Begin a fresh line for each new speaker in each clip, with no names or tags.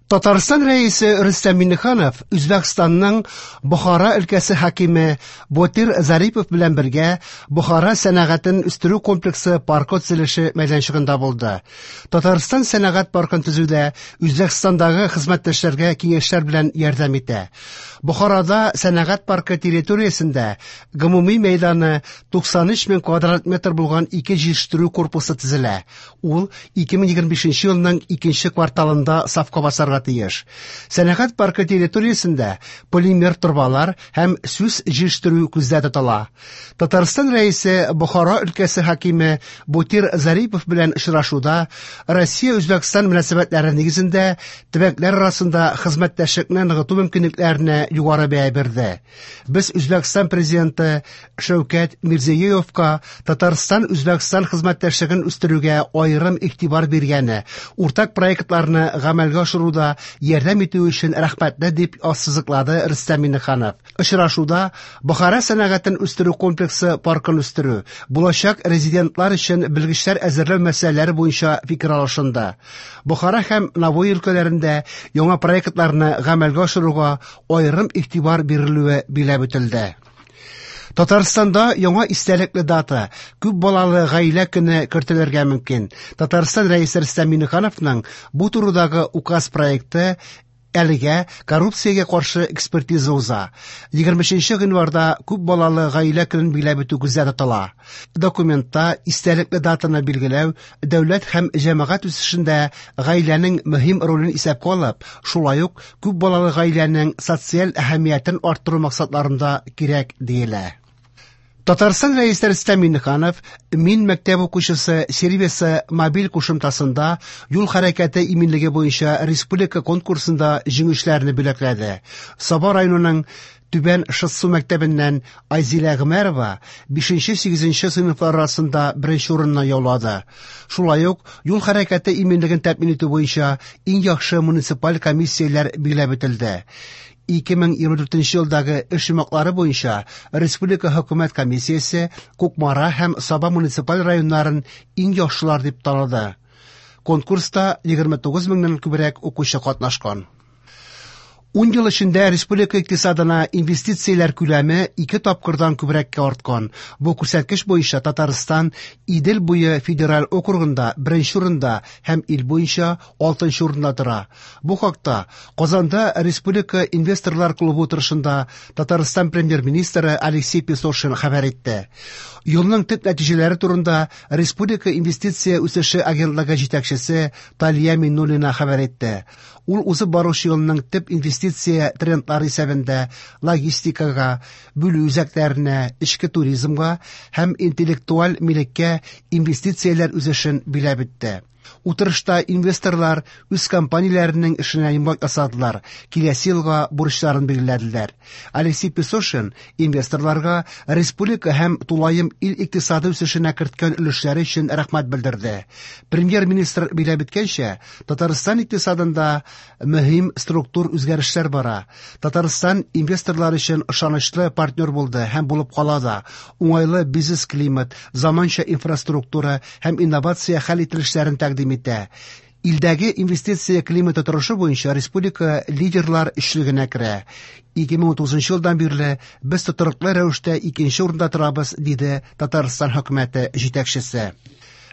Татарстан Рәисе Рөстәм Миңнеханов Үзбәкстанның Бохара өлкәсе хакиме Ботир Зарипов белән бергә Бохара сәнәгатен үстерү комплексы паркы төзелеше мәйданчыгында булды. Татарстан сәнәгать паркын төзүдә Үзбәкстандагы хезмәттәшләргә киңәшләр белән ярдәм итә. Бохарада сәнәгать паркы территориясендә гомуми мәйданы 93 мең квадрат метр булган ике җитештерү корпусы төзелә. Ул 2025 елның икенче кварталында сафка басарга тиеш. Сәнәгать паркы территориясендә полимер торбалар һәм сүс җитештерү күздә тотыла. Татарстан Рәисе Бохара өлкәсе хакиме Ботир Зарипов белән очрашуда Россия-Үзбәкстан мөнәсәбәтләре нигезендә төбәкләр арасында хезмәттәшлекне ныгыту мөмкинлекләренә югары бәя бирде. Без Үзбәкстан президенты Шәүкәт Мирзиёевка Татарстан-Үзбәкстан хезмәттәшлеген үстерүгә аерым игътибар биргәне, уртак проектларны гамәлгә ашыруда ярдәм итү өчен рәхмәтле, дип ассызыклады Рөстәм Миңнеханов. Очрашуда Бохара сәнәгатен үстерү комплексы паркын үстерү, булачак резидентлар өчен белгечләр әзерләү мәсьәләләре буенча фикер алышынды. Бохара һәм Навои өлкәләрендә яңа проектларны гамәлгә ашыруга аерым игътибар бирелүе билгеләп үтелде. Татарстанда яңа истәлекле дата күп балалы гаилә көне кертелергә мөмкин. Татарстан Рәисе Рөстәм Миңнехановның бу турыдагы указ проекты әлегә коррупциягә каршы экспертиза уза. 23 гыйнварда күп балалы гаилә көнен билгеләп үтү күздә тотыла. Документта истәлекле датаны билгеләү дәүләт һәм җәмәгать үсешендә гаиләнең мөһим ролен исәпкә алып, шулай ук күп балалы гаиләнең социаль әһәмиятен арттыру максатларында кирәк диелә. Татарстан Рәисе Рөстәм Миңнеханов Мин мәктәп укучысы сервисы мобиль кушымтасында юл хәрәкәте иминлеге буенча республика конкурсында җиңүчеләрне бүләкләде. Саба районының Түбән Шытсу мәктәбеннән Айзилә Гомәрова 5-8 сыйныфлар арасында беренче урынны яулады. Шулай ук юл хәрәкәте иминлеген тәэмин итү буенча иң яхшы муниципаль комиссияләр билгеләп үтелде. 2024 елдагы эш йомгаклары буенча Республика хөкүмәт комиссиясе Кукмара һәм Саба муниципаль районнарын иң яхшылар дип таныды. Конкурста 29 меңнән күбрәк укучы катнашкан. 10 ел эчендә республика икътисадына инвестицияләр күләме ике тапкырдан күбрәккә арткан. Бу күрсәткеч буенча Татарстан Идел буе федераль округында беренче урында һәм ил буенча алтынчы урында тора. Бу хакта Казанда Республика инвесторлар клубы утырышында Татарстан премьер-министры Алексей Песошин хәбәр итте. Елның төп нәтиҗәләре турында Республика инвестиция үсеше агентлыгы җитәкчесе Талия Миннуллина хәбәр итте. Ул узып баручы елның төп инвестиция трендлары исәбендә логистикага, бүлү үзәкләренә, эчке туризмга һәм интеллектуаль милеккә инвестицияләр үсешен биләп үтте. Утырышта инвесторлар үз компанияләренең эшенә йомгак ясадылар, киләсе елга бурычларын билгеләделәр. Алексей Песошин инвесторларга республика һәм тулаем ил икътисады үсешенә керткән өлешләре өчен рәхмәт белдерде. Премьер-министр билгеләп үткәнчә, Татарстан икътисадында мөһим структур үзгәрешләр бара. Татарстан инвесторлар өчен ышанычлы партнер булды һәм булып кала да. Уңайлы бизнес-климат, заманча инфраструктура һәм инновация хәл ителешләрен тәкъдим итә. Илдәге инвестиция климаты торышы буенча республика лидерлар өчлегенә керә. 2030 елдан бирле без тотрыклы рәвештә икенче урында торабыз, диде Татарстан хөкүмәте җитәкчесе.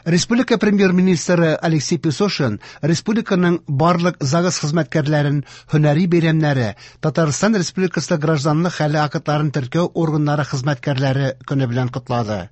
Республика премьер-министры Алексей Песошин республиканың барлык ЗАГС хезмәткәрләрен һөнәри бәйрәмнәре, Татарстан Республикасы гражданлык хәле актларын теркәү органнары хезмәткәрләре көне белән котлады.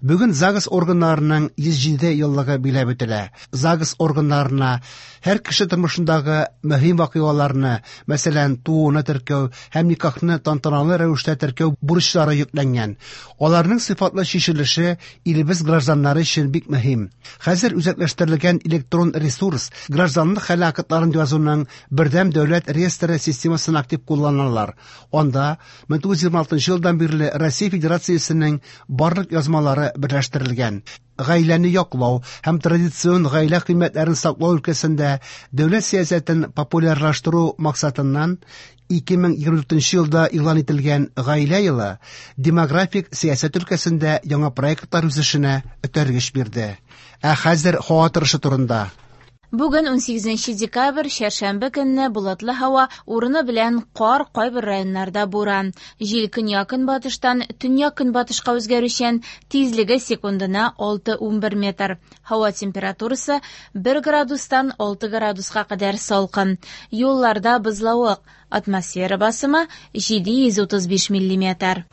Бүген ЗАГС органнарының 107 еллыгы билгеләп үтелә. ЗАГС органнарына һәр кеше тормышындагы мөһим вакыйгаларны, мәсәлән, тууны теркәү һәм никахны тантаналы рәвештә теркәү бурычлары йөкләнгән. Аларның сыйфатлы чишелеше илебез гражданнары өчен бик мөһим. Хәзер үзәкләштерелгән электрон ресурс гражданлык хәле актларын язуның бердәм дәүләт реестры системасын актив кулланалар. Анда 1926 елдан бирле Россия Федерациясенең барлык язмалары берләштерелгән. Гаиләне яклау һәм традицион гаилә кыйммәтләрен саклау өлкәсендә дәүләт сәясәтен популярлаштыру максатыннан 2024 елда игълан ителгән Гаилә елы демографик сәясәт өлкәсендә яңа проектлар үсешенә этәргеч бирде. Ә хәзер һава торышы турында.
Бүген 18 декабрь, чәршәмбе көнне болытлы һава, урыны белән кар, кайбер районнарда буран. Җил көньяк-көнбатыштан төньяк-көнбатышка үзгәрүчән, тизлеге секундына 6-11 метр. Һава температурасы 1 градустан 6 градуска кадәр салкын. Юлларда бозлавык, атмосфера басымы 735 миллиметр.